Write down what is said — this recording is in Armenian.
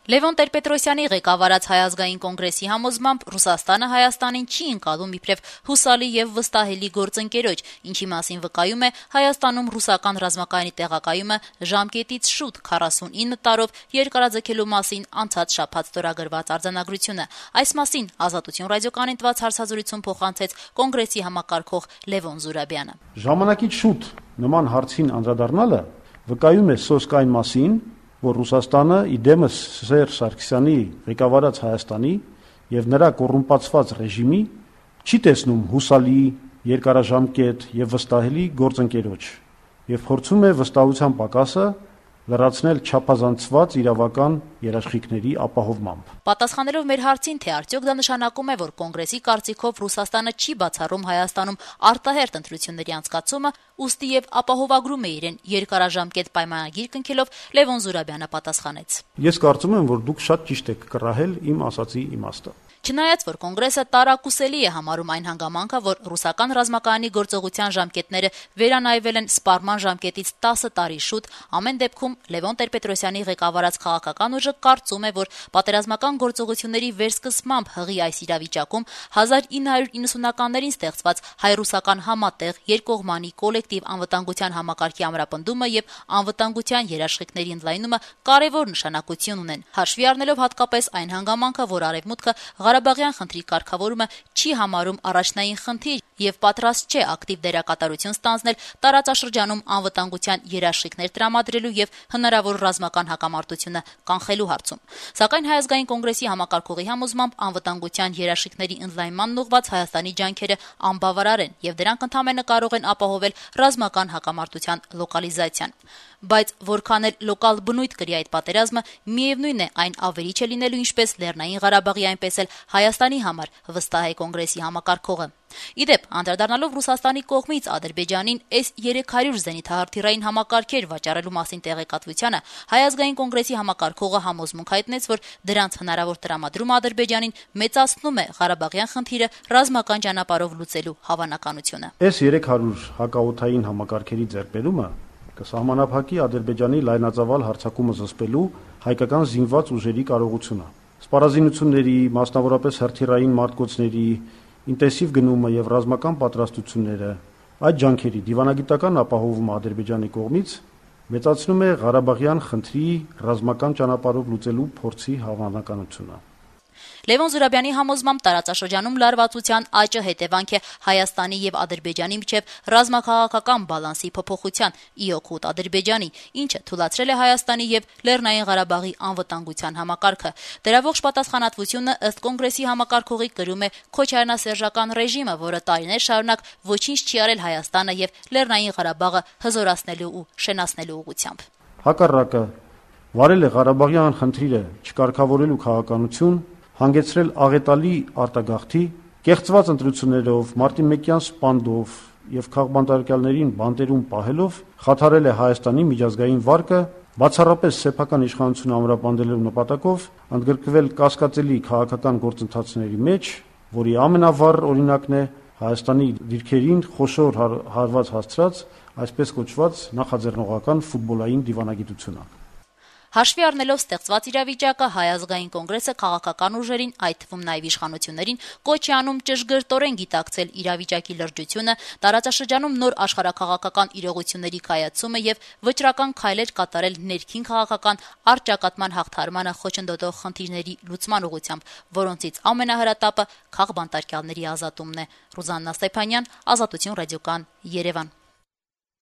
Լևոն Տեր-Պետրոսյանի ղեկավարած Հայ ազգային կոնգրեսի համոզմամբ Ռուսաստանը Հայաստանին չի ընկալում իբրև հուսալի եւ վստահելի գործընկերոջ, ինչի մասին վկայում է Հայաստանում ռուսական ռազմակայանի տեղակայումը ժամկետից շուտ 49 տարով երկարաձգելու մասին անցած շաբաթ ստորագրված արձանագրությունը։ Այս մասին Ազատություն ռադիոկայանին տված հարցազրույցում փոխանցեց կոնգրեսի համակարգող Լևոն Զուրաբյանը։ Ժամանակից շուտ նման հարցին անդրադառնալը վկայում է սոսկ այն մասին, որ Ռուսաստանը իդեմս Սերժ Սարգսյանի ղեկավարած Հայաստանի եւ նրա կոռումպացված ռեժիմի չի տեսնում հուսալի, երկարաժամկետ եւ վստահելի գործընկերոջ եւ փորձում է վստահության պակասը լրացնել չափազանցված իրավական երաշխիքների ապահովմամբ։ Պատասխանելով մեր հարցին, թե արդյոք դա նշանակում է, որ կոնգրեսի կարծիքով Ռուսաստանը չի բացառում Հայաստանում արտահերթ ընտրությունների անցկացումը, ուստի եւ ապահովագրում է իրեն երկարաժամկետ պայմանագիր կնքելով, Լևոն Զուրաբյանը պատասխանեց. Ես կարծում եմ, որ դուք շատ ճիշտ եք կռահել իմ ասացի իմաստը։ Չնայած որ կոնգրեսը տարակուսելի է համարում այն հանգամանքը, որ ռուսական ռազմակայանի գործողության ժամկետները վերանայվել են սպառման ժամկետից 10 տարի շուտ, ամեն դեպքում Լևոն Տեր-Պետրոսյանի ղեկավարած քաղաքական ուժը կարծում է, որ պատերազմական գործողությունների վերսկսմամբ հղի այս իրավիճակում 1990-ականներին ստեղծված հայ-ռուսական համատեղ երկկողմանի կոլեկտիվ անվտանգության համակարգի ամրապնդումը եւ անվտանգության երաշխիքների ընդլայնումը կարեւոր նշանակություն ունեն, հաշվի առնելով հատկապես այն հանգամանքը, որ Արևմուտքը Ղարաբաղյան խնդրի կարգավորումը չի համարում առաջնային խնդիր եւ պատրաստ չէ ակտիվ դերակատարություն ստանձնել տարածաշրջանում անվտանգության երաշխիքներ տրամադրելու եւ հնարավոր ռազմական հակամարտությունը կանխելու հարցում։ Սակայն Հայ ազգային կոնգրեսի համակարգողի համոզմամբ անվտանգության երաշխիքների ընդլայնման ուղղված Հայաստանի ջանքերը անբավարար են եւ դրանք ընդհանրապես կարող են ապահովել ռազմական հակամարտության լոկալիզացիան։ Բայց որքան էլ լոկալ բնույթ կրի այդ պատերազմը, միևնույն է այն ավերիչ է լինելու ինչպես Լեռնային Ղարաբաղի, այնպես էլ Հայաստանի համար, վստահ է կոնգրեսի համակարգողը։ Իդեպ, անդրադառնալով Ռուսաստանի կողմից Ադրբեջանին S-300 զենիթահրթիռային համակարգեր վաճառելու մասին տեղեկատվությանը, Հայ ազգային կոնգրեսի համակարգողը համոզմունք հայտնեց, որ դրանց հնարավոր տրամադրումը Ադրբեջանին մեծացնում է Ղարաբաղյան խնդիրը ռազմական ճանապարհով լուծելու հավանականությունը։ S-300 հակաօդային համակարգերի ձեռքբերումը կսահմանափակի Ադրբեջանի լայնածավալ հարձակումը զսպելու հայկական զինված ուժերի կարողությունը։ Սպառազինությունների, մասնավորապես հրթիռային մարտկոցների ինտենսիվ գնումը եւ ռազմական պատրաստությունները, այդ ջանքերի դիվանագիտական ապահովումը Ադրբեջանի կողմից մեծացնում է Ղարաբաղյան խնդրի ռազմական ճանապարհով լուծելու փորձի հավանականությունը։ Լևոն Զուրաբյանի համոզմամբ տարածաշրջանում լարվածության աճը հետևանք է Հայաստանի եւ Ադրբեջանի միջև ռազմաքաղաքական բալանսի փոփոխության ի օգուտ Ադրբեջանի, ինչը թույլատրել է Հայաստանի եւ Լեռնային Ղարաբաղի անվտանգության համակարգը։ Դրա ողջ պատասխանատվությունը ըստ կոնգրեսի համակարգողի կրում է քոչարյանասերժական ռեժիմը, որը տարիներ շարունակ ոչինչ չի արել Հայաստանը եւ Լեռնային Ղարաբաղը հզորացնելու ու շենացնելու ուղղությամբ։ Հակառակը վարել է Ղարաբաղյան խնդիրը չկարգավորելու քաղաքականություն, հանգեցրել աղետալի արտագաղթի, կեղծված ընտրություններով, մարտի 1-յան սպանդով եւ քաղբանտարկյալներին բանտերում պահելով խաթարել է Հայաստանի միջազգային վարկը, բացառապես սեփական իշխանությունը ամրապնդելու նպատակով ընդգրկվել կասկածելի քաղաքական գործընթացների մեջ, որի ամենավառ օրինակն է Հայաստանի դիրքերին խոշոր հարված հասցրած այսպես կոչված նախաձեռնողական ֆուտբոլային դիվանագիտությունը։ Հաշվի առնելով ստեղծված իրավիճակը, Հայ ազգային կոնգրեսը քաղաքական ուժերին, այդ թվում նաև իշխանություններին, կոչ է անում ճշգրտորեն գիտակցել իրավիճակի լրջությունը, տարածաշրջանում նոր աշխարհաքաղաքական իրողությունների կայացումը եւ վճռական քայլեր կատարել ներքին քաղաքական առճակատման հաղթարմանը խոչընդոտող խնդիրների լուծման ուղղությամբ, որոնցից ամենահրատապը քաղբանտարկյալների ազատումն է։ Ռուզաննա Ստեփանյան, Ազատություն ռադիոկայան, Երևան։